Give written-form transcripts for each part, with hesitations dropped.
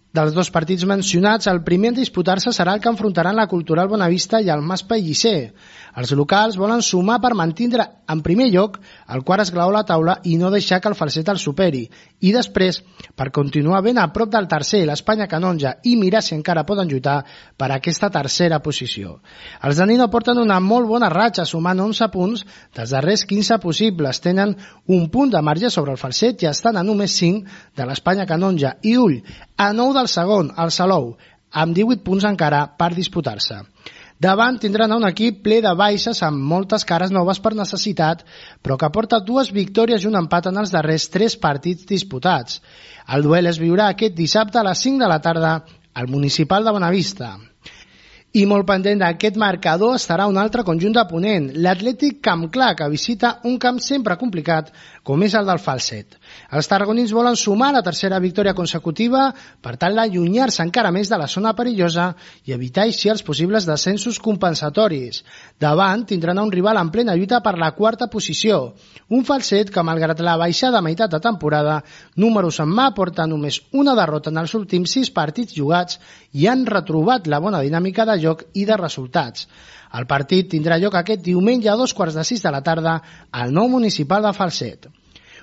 Dels dos partits mencionats, el primer en disputar-se serà el que enfrontaran la Cultural Bonavista i el Mas Pellicer. Els locals volen sumar per mantindre en primer lloc el quart esglaó a la taula i no deixar que el Falset el superi. I després, per continuar ben a prop del tercer, l'Espanya Canonja, i mirar si encara poden lluitar per aquesta tercera posició. Els de Nino porten una molt bona ratxa, sumant 11 punts dels darrers 15 possibles. Tenen un punt de marge sobre el Falset i estan a només 5 de l'Espanya Canonja. I ull, a 9 del segon, el Salou, amb 18 punts encara per disputar-se. Davant tindran un equip ple de baixes amb moltes cares noves per necessitat, però que porta 2 victòries i un empat en els darrers 3 partits disputats. El duel es viurà aquest dissabte a les 5 de la tarda al Municipal de Bonavista. I molt pendent d'aquest marcador estarà un altre conjunt de Ponent, l'Atlètic Camp Clar, que visita un camp sempre complicat com és el del Falset. Els tarragonins volen sumar la tercera victòria consecutiva per tal d'allunyar-se encara més de la zona perillosa i evitar així els possibles descensos compensatoris. Davant tindran un rival en plena lluita per la quarta posició, un Falset que, malgrat la baixada a meitat de temporada, números en mà, porta només una derrota en els últims 6 partits jugats i han retrobat la bona dinàmica de joc i de resultats. El partit tindrà lloc aquest diumenge a 2:15 de la tarda al nou municipal de Falset.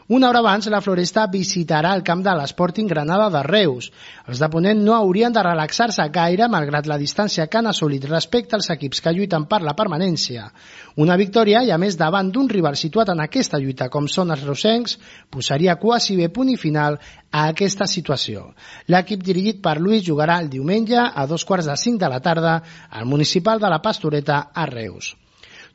Una hora abans, la Floresta visitarà el camp de l'Sporting Granada de Reus. Els de Ponent no haurien de relaxar-se gaire, malgrat la distància que han assolit respecte als equips que lluiten per la permanència. Una victòria, i a més davant d'un rival situat en aquesta lluita com són els reusencs, posaria quasi bé punt i final a aquesta situació. L'equip dirigit per Luis jugarà el diumenge a 2:45 de la tarda al municipal de la Pastoreta a Reus.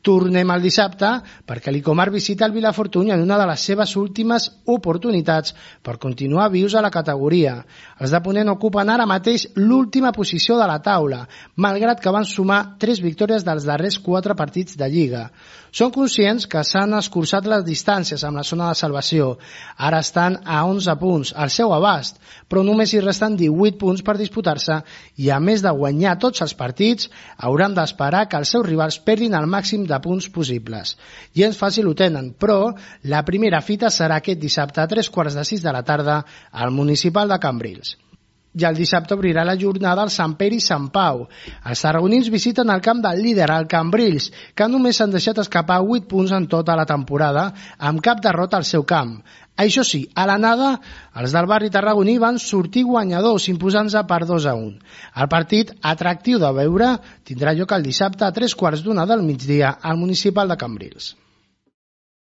Tornem al dissabte perquè l'Icomar visita el Vilafortuny en una de les seves últimes oportunitats per continuar vius a la categoria. Els de Ponent ocupen ara mateix l'última posició de la taula, malgrat que van sumar 3 victòries dels darrers 4 partits de Lliga. Són conscients que s'han escurçat les distàncies amb la zona de salvació. Ara estan a 11 punts, al seu abast, però només hi resten 18 punts per disputar-se i, a més de guanyar tots els partits, hauran d'esperar que els seus rivals perdin el màxim de punts possibles. Gens fàcil ho tenen, però la primera fita serà aquest dissabte a 3:15 de la tarda al municipal de Cambrils. I el dissabte obrirà la jornada al Sant Pere i Sant Pau. Els tarragonins visiten el camp del líder, el Cambrils, que només s'han deixat escapar 8 punts en tota la temporada, amb cap derrota al seu camp. Això sí, a l'anada, els del barri tarragoní van sortir guanyadors, imposant-se per 2-1. El partit, atractiu de veure, tindrà lloc el dissabte a 3:15 del migdia al municipal de Cambrils.